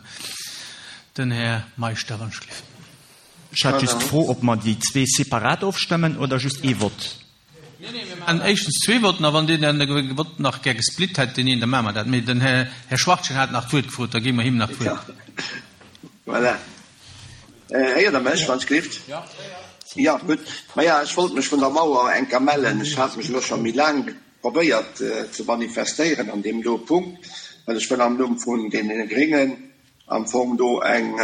Den Här Meisch Daranschliff. Ech hat just d'Fro, ob mer déi zwee separat ofstëmmen oder just ee Vott. Nee, nee, mir maachen éischtens zwee Votten, a wann deen anere Vott nach gär gesplitt hätt, deen een, da maache mer dat. Mee den Här Schwachtgen hat nach d'Wuert gefrot, da gi mer him nach d'Wuert. Voilà. Héiert Der mech, wann ech gelift? Jo, gutt. Maja, ech wollt mech vun der Mauer eng Kéier mellen. Ech hat mech elo scho méi laang probéiert ze manifestéieren an deem do Punkt, well ech wëll am Numm vun deene Gréngen am Fong do eng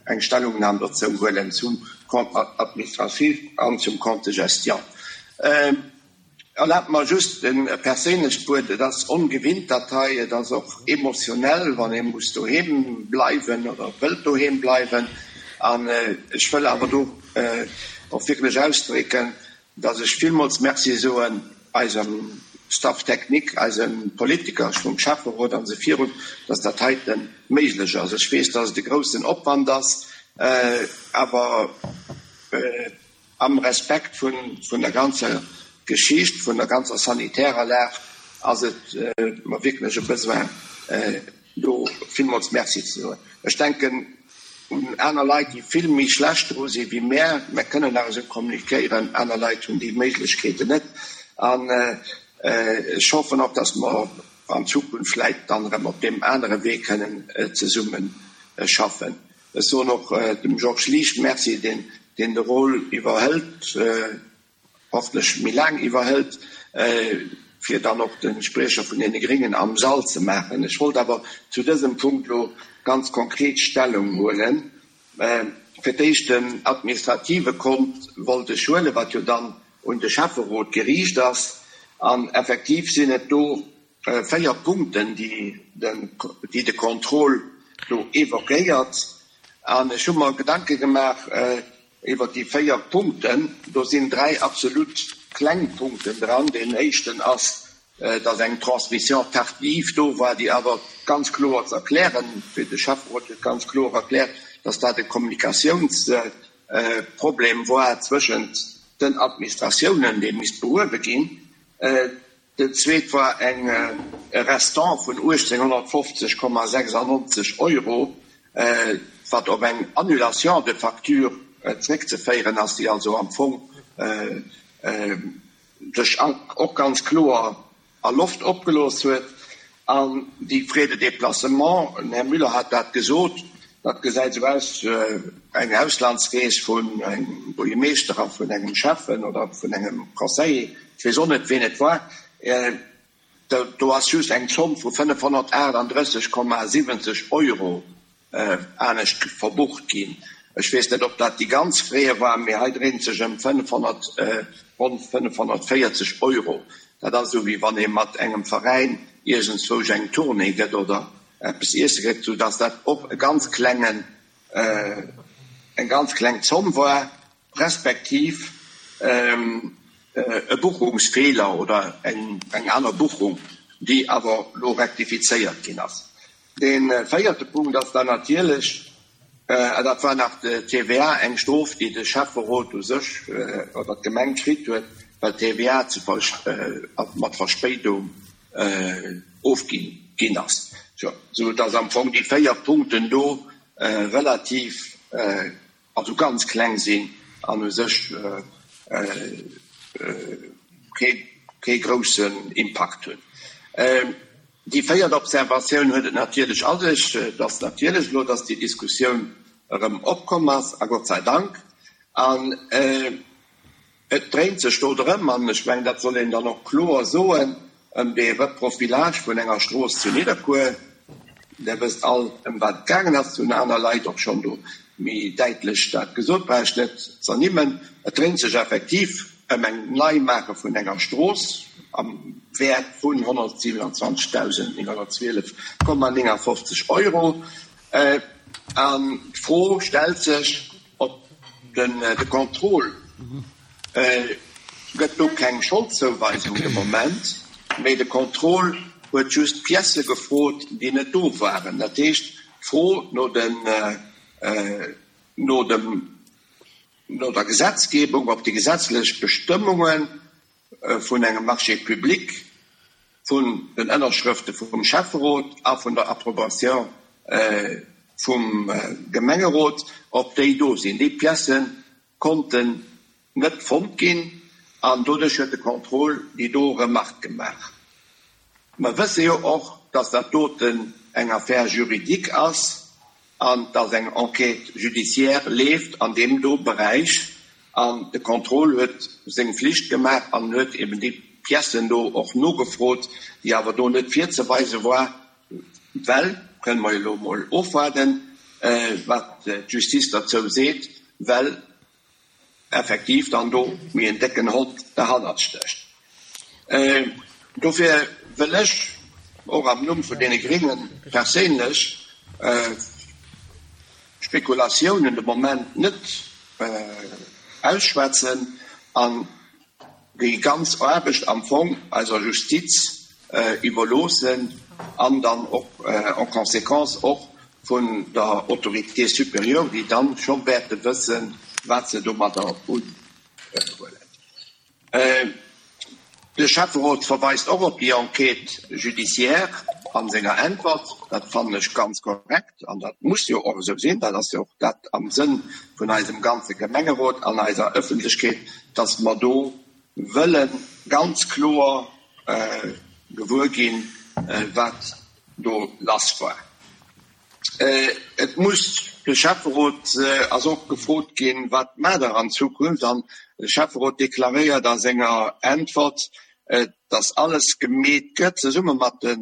eng Stellungnahme dozou huelen zum Compte administratif an zum Compte de gestion. Erlaabt mer just e perséinlecht Wuert. Et ass ongewinnt dat hei, et ass och emotionell, wann ee muss doheem bleiwen oder wëllt doheem bleiwen. An ech wëll awer do och wierklech ausdrécken, dass ech villmools Merci soen eisem Staff technique, eise Politiker vum Schäfferot an esou virun, dass dat heite méiglech ass. Ech weess, dass et e groussen Opwand ass, awer am Respekt vun der ganzer Geschicht, vun der ganzer sanitärer Lag, ass et mer wierklech e Besoin, do villmools Merci ze soen. Ech denken un aner Leit, déi vill méi schlecht dru si wéi mär. Mär kënnen nach esou kommunikéieren, aner Leit hunn déi Méiglechkeeten net. An ech hoffen och, dass mer an Zukunft vläicht dann erëm op deem anere Wee kënnen zesumme schaffen. Ech soen och dem Georges Liesch Merci, deen deen de Rôle iwwerhëlt, hoffentlech méi laang iwwerhëlt, fir dann och de Spriecher vun deene Gréngen am Sall ze maachen. Ech wollt awer zu dësem Punkt elo ganz konkret Stellung huelen. Fir d'éischt den administrative Kont wollt ech huelen, wat jo dann un de Schäfferot geriicht ass. An effektiv sinn et do véier Punkten, déi de Contrôle do évoquéiert. An ech hu mer Gedanke gemaach iwwert déi véier Punkten. Do sinn dräi absolut kleng Punkten dran. Deen éischten ass, dass eng Transmission tardive do war, déi awer ganz kloer ze erklären, wéi de Schäfferot huet ganz kloer erkläert, dass dat e Kommunikatiounsproblem war zwëschent den Administratiounen, dee misst behuewe ginn. Den zweet war eng e Restant vun uechtzénghonnertfofzeg Komma sechsundneunzeg Euro, wat op eng Annulation de facture zréckzeféieren ass, déi also am Fong sech och ganz kloer a Loft opgelooss huet. An déi Frais de déplacement, den Här Müller hat dat gesot, dat gesäit esou aus, eng Auslandsrees vun engem Buergermeeschter a vun engem Schäffen oder vun engem Conseiller, ech weess och net, ween et war, do ass just eng Zomm vu fënnefhonnertaachtanddrësseg Komma siwwenzeg Euro anescht verbucht ginn. Ech weess net, ob dat déi ganz Frais war, mee hei dréint sech ëm fënnefhonnert, ronn fënnefhonnertvéierzeg Euro. Dat ass esou, wéi wann ee mat engem Veräin iergendzwousch eng Tournée gëtt oder eppes iesse gëtt, soudass dat och e ganz klengen, eng ganz kleng Zomm war, respektiv e Buchungsfeeler oder eng aner Buchung, déi awer elo rektifizéiert ginn ass. Dee véierte Punkt ass dann natierlech, an dat war nach d'T V A, eng Strof, déi de Schäfferot u sech oder d'Gemeng kritt huet, well d'T V A mat Verspéidung ofginn ginn ass. Sou dass am Fong déi véier Punkten do relativ, also ganz kleng sinn an u sech kee groussen Impakt hunn. Déi véiert Observatioun huet et natierlech a sech, dass natierlech elo, dass déi Diskussioun erëm opkomm ass, a Gott sei Dank, an et dréint sech do drëm, an ech mengen, dat soll een dann och kloer soen, ëm dee Reprofilage vun enger Strooss zu Nidderkuer. Der wësst all, ëm wat et gaangen ass, hunn aner Leit och schonn do méi däitlech dat gesot, brauch ech net z'ernimmen. Et dréint sech effektiv ëm eng Neimaache vun enger Strooss am Wäert vun honnertsiwenundzwanzegdausend nénghonnertzwielef Komma néngafofzeg Euro. An d'Fro stellt sech, ob den de Contrôle gëtt do keng Scholdzouweisung de Moment, mee de Contrôle huet just Piècë gefrot, déi net do waren. Dat heescht, d'Fro no den, no dem, no der Gesetzgebung, ob déi gesetzlech Bestëmmunge vun engem Marché public, vun den Ënnerschrëfte vum Schäfferot a vun der Approbation vum Gemengerot, ob déi do sinn. Déi Piècë konnten net fonnt ginn an doduerch huet de Contrôle déi do Remarque gemaach. Mer wësse jo och, dass dat doten eng Affaire juridique ass an dass eng Enquête judiciaire leeft an deem do Beräich an de Contrôle huet seng Flicht gemaach an huet eben déi Piècen do och nogefrot, déi awer do net virzeweise war, well, kënne mer jo elo emol ofwaarden, wat d'Justice derzou seet, well effektiv dann do méi en décken Hond derhannert stécht. Dofir wëll ech och am Numm vun deene Grénge perséinlech Spekulatiounen de Moment net ausschwätzen an déi ganz Aarbecht am Fong eiser Justiz iwwerloossen an dann och en conséquence och vun der Autorité supérieure, déi dann scho wäerte wëssen, wat se domadder unhuelen. De Schäfferot verweist och op déi Enquête judiciaire a senger Äntwert. Dat fannen ech ganz korrekt an dat muss jo och esou sinn. Dat ass jo och dat am Sënn vun eisem ganze Gemengerot an eiser Ëffentlechkeet, dass mer do wëlle ganz kloer gewuer ginn, wat do lass war. Et muss de Schäfferot ass och gefrot ginn, wat maacht Der an Zukunft? An de Schäfferot deklaréiert a senger Äntwert, dass alles gemeet gëtt, zesumme mat de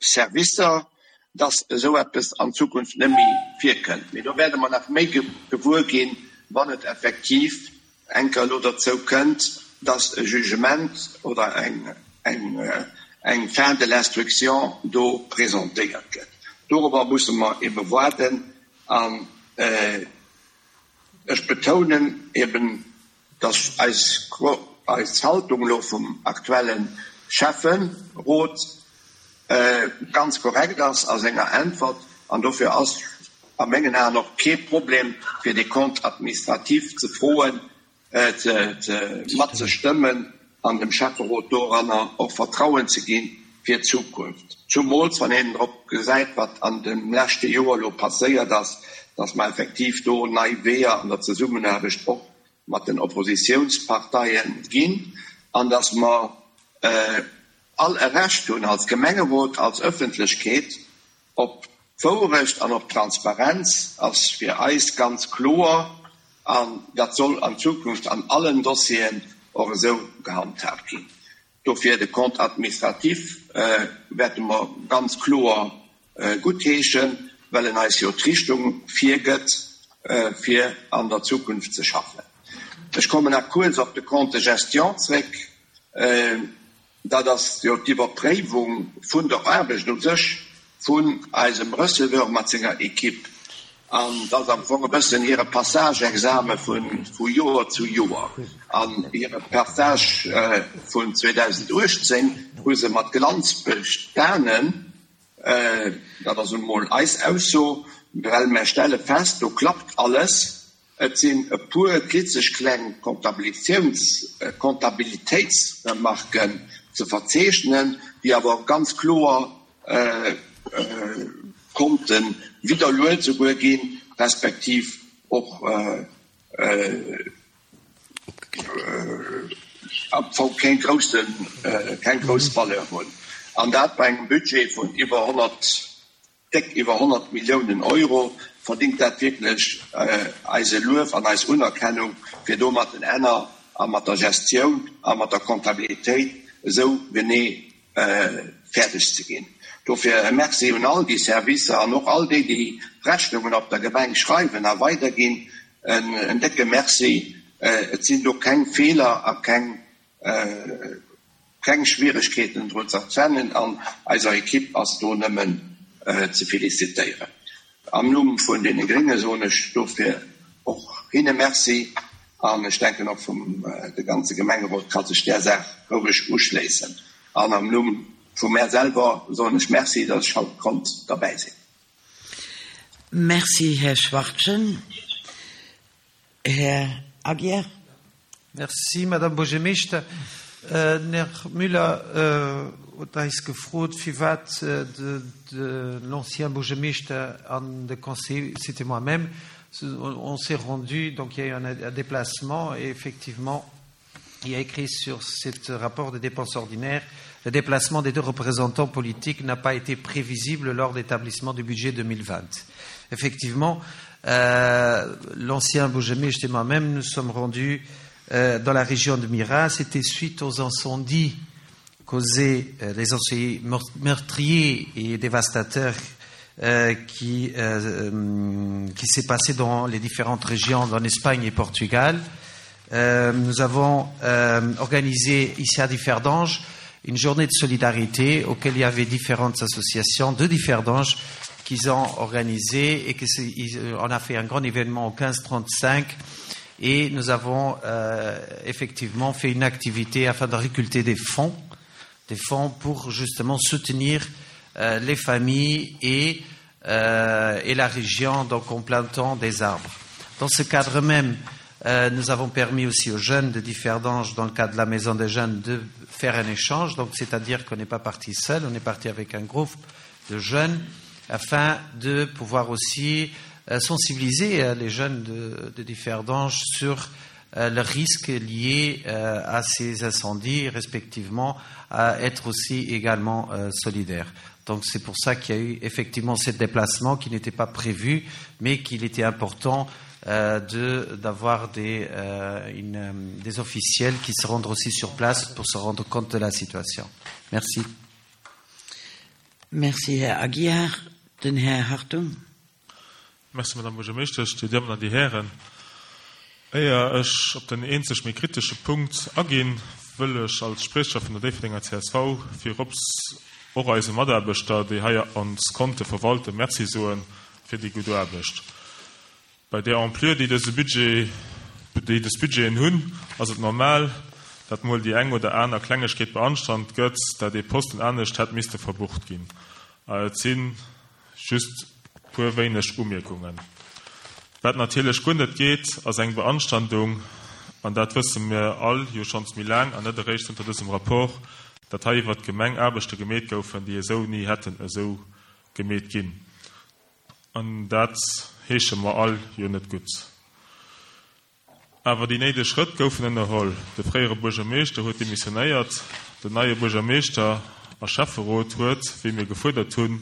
Servicer, dass esou eppes an Zukunft net méi virkënnt. Mee do wäerte mer nach méi gewuer ginn, wann et effektiv eng Kéier elo derzou kënnt, dass e Jugement oder eng eng Fin de l'instruction do presentéiert gëtt. Dorobber musse mer ebe waarden. An ech betounen eben, dass eis eis Haltung elo vum aktuelle Schäfferot ganz korrekt ass a senger Äntwert. An dofir ass a mengen Aen och kee Problem, fir dee Compte administratif ze froen, matzestëmmen an dem Schäfferot doranner och Vertrauen ze ginn fir d'Zukunft. Zumools wann een drop gesäit, wat an dem leschte Joer elo passéiert ass, dass mer effektiv do nei Weeër an der Zesummenaarbecht och mat den Oppositiounsparteien ginn an dass mer all e Recht hunn als Gemengerot, als Ëffentlechkeet op d'Wourecht an op d'Transparenz ass fir eis ganz kloer an dat soll an Zukunft an allen Dossieren och esou gehandhaabt ginn. Dofir de Compte administratif wäerte mer ganz kloer guttheeschen, well en eis jo d'Richtung virgëtt, fir an der Zukunft ze schaffen. Ech kommen nach kuerz op de Compte de gestion zréck. Dat ass jo d'Iwwerpréiwung vun der Aarbecht u sech vun eisem Receveur mat senger Equipe. An dat ass am Fong e bëssen hire Passage-Exame vu Joer zu Joer. An hire Passage vun zweedausenduechtzéng hu se mat Glanz bestanen. Dat ass emol eis Ausso, well mer stelle fest, do klappt alles. Et sinn e puer klitzeg kleng Comptabilitéitsremarken ze verzeechnen, déi awer ganz kloer Konte widderluet souguer ginn, respektiv och am Fong keng groussen, keng grouss Valeur hunn. An dat bei engem Budget vun iwwer honnert, déck iwwer honnert Milliounen Euro, verdingt dat wierklech eise Luef an eis Unerkennung, fir do mat den Enner a mat der Gestioun a mat der Comptabilitéit esou genee fäerdeg ze ginn. Dofir e Merci un all déi Servicer an och all déi, déi d'Rechnungen op der Gemeng schreiwen a weiderginn, en décke Merci. Et sinn do keng Feeler a keng keng Schwieregkeeten drun ze erkennen an eiser Equipe ass do nëmmen ze felicitéieren. Am Numm vun deene Grénge soen ech dofir och hinne Merci an ech denken och vum de ganze Gemengerot ka sech där Saach roueg uschléissen. An am Numm vu mär selwer soen ech Merci, datt ech haut konnt derbäi sinn. Merci, Här Schwachtgen. Här Aguiar. Merci, Madame Buergermeeschter. Den Här Müller huet eis gefrot, firwat l'ancien Buergermeeschter an de Conseiller, c'était moi-même, on s'est rendu, donc il y a eu un déplacement et effectivement, il y a écrit sur ce rapport de dépenses ordinaires, le déplacement des deux représentants politiques n'a pas été prévisible lors d'établissement du budget deux mille vingt. Effectivement, euh, l'ancien Buergermeeschter et moi-même, nous sommes rendus euh, dans la région de Mira. C'était suite aux incendies causés, euh, les incendies meurtriers et dévastateurs euh, qui, euh, qui s'est passé dans les différentes régions, en Espagne et Portugal. Euh, nous avons euh, organisé ici à Differdange une journée de solidarité auquel il y avait différentes associations de Differdange qu'ils ont organisé et que c'est, ils, on a fait un grand événement au quinze trente-cinq et nous avons, euh, effectivement fait une activité afin de récolter des fonds, des fonds pour justement soutenir, euh, les familles et, euh, et la région, donc en plantant des arbres. Dans ce cadre même, euh, nous avons permis aussi aux jeunes de Differdange, dans le cadre de la Maison des Jeunes, de faire un échange. Donc, c'est-à-dire qu'on n'est pas parti seul, on est parti avec un groupe de jeunes afin de pouvoir aussi, euh, sensibiliser, euh, les jeunes de, de Differdange sur, euh, le risque lié, euh, à ces incendies, respectivement, à être aussi également, euh, solidaires. Donc c'est pour ça qu'il y a eu effectivement ce déplacement qui n'était pas prévu, mais qu'il était important, euh, de, d'avoir des, euh, une, euh, des officiels qui se rendent aussi sur place pour se rendre compte de la situation. Merci. Merci, Herr Aguiar. Den Herr Hartung. Merci, Madame Buergermeeschtesch, Dir Dammen an Dir Hären. Éier ech op den eenzeg méi kritesche Punkt aginn, wëll ech als Sprecher vun der Déifferdenger C S V virops och eise Mataarbechter, déi hei ons Konte verwalten, Merci soen fir déi gutt Aarbecht. Bei der Ampleur, déi dëse Budget, déi dës Budgeten hunn, ass et normal, dat mol déi eng oder aner Klengegkeet beanstand gëtt, dat ee Posten anescht hätt misste verbucht ginn. Et sinn just puer wéineg Umierkungen. Wat natierlech guer net geet, ass eng Beanstandung, an dat wësse mir all jo schonns méi laang an net eréischt zënter dësem Rapport, dat hei iwwer d'Gemeng Aarbechte gemeet goufen, déi esou ni hätten esou gemeet ginn. An dat heesche mer all jo net gutt. Awer déi néideg Schrëtt goufen ënnerholl. De fréiere Buergermeeschter huet demissionéiert, den neie Buergermeeschter a Schäfferot huet, wéi mir gefuerdert hunn,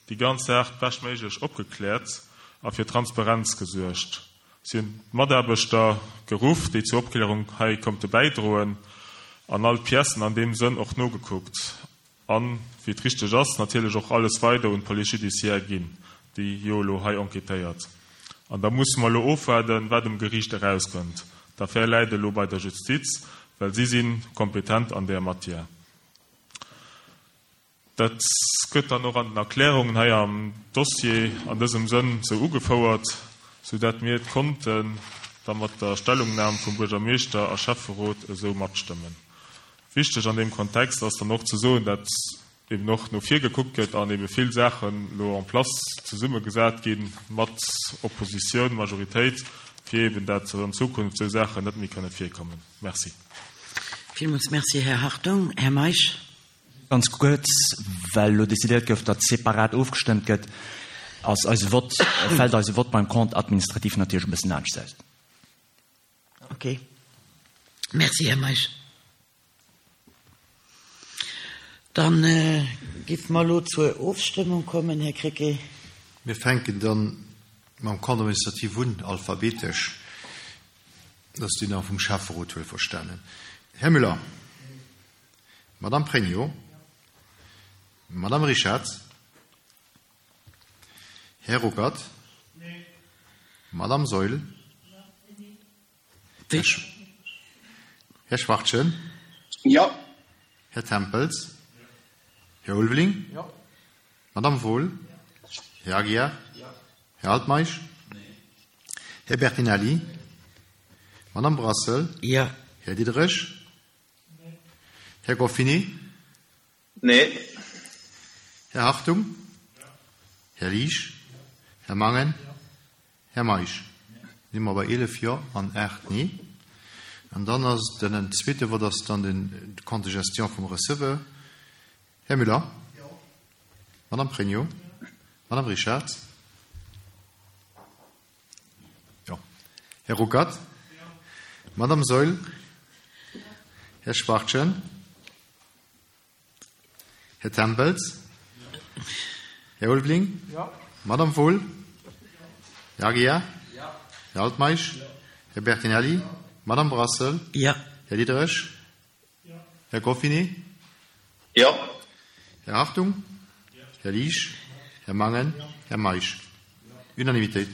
déi ganz Saach bestméiglech opgekläert a fir Transparenz gesuergt. Si hunn d'Mataarbechter geruff, déi zur Opklärung hei konnte bäidroen, an all d'Piècen an deem Sënn och nogekuckt. An, wéi et richteg ass, natierlech och alles weider un d'Police judiciaire ginn, déi jo elo hei enquêtéiert. An da musse mer elo ofwaarden, wat um Geriicht erauskënnt. D'Affär läit elo bei der Justiz, well si sinn kompetent an der Matière. Dat gëtt dann och an den Erklärungen hei am Dossier an dësem Sënn sou ugefouert, sou dat mir d'Konten da mat der Stellungnahme vum Buergermeeschter a Schäfferot esou matstëmmen. Wichteg an dem Kontext ass dann och ze soen, dat eben och no vir gekuckt gëtt an eben vill Saachen lo en place zesummegesat ginn mat Oppositioun, Majoritéit, fir eben dat an Zukunft sou Saachen net méi kënne virkommen. Merci. Villmools merci, Herr Hartung. Herr Meisch. Ganz kurz, weil lo dezidiert gouf, datt separat ofgestëmmt gëtt. ass eise Vott, fält eise Vott beim Compte administratif natierlech e bëssen anescht aus. Okay. Merci, Här Meisch. Dann géife mer elo zur Ofstëmmung kommen, Här Krecké. Mir fänken dann mam Compte administratif un, alphabetesch. Dat ass deen vum Schäfferot, wuelverstanen. Här Müller. Madame Pregno. Madame Richard. Här Ruckert. Madame Saeul. Här Schwachtgen. Jo. Här Tempels. Här Ulveling. Jo. Madame Wohl. Här Aguiar. Här Altmeisch. Här Bertinelli. Madame Brassel. Jo. Här Diderich. Här Goffini. Nee. Här Hartung. Här Liesch. Här Mangen. Här Meisch. Si mer bei eelef Jo an aacht Nee. An dann ass den zweete Vott ass dann den Compte de gestion vum Receveur. Här Müller. Madame Pregno. Madame Richard. Jo. Här Ruckert. Madame Saeul. Här Schwachtgen. Här Tempels. Här Ulveling. Madame Wohl. Här Aguiar. Här Altmeisch. Här Bertinelli. Madame Brassel. Jo. Här Diderich. Här Goffinet. Jo. Här Hartung. Här Liesch. Här Mangen. Här Meisch. Unanimitéit.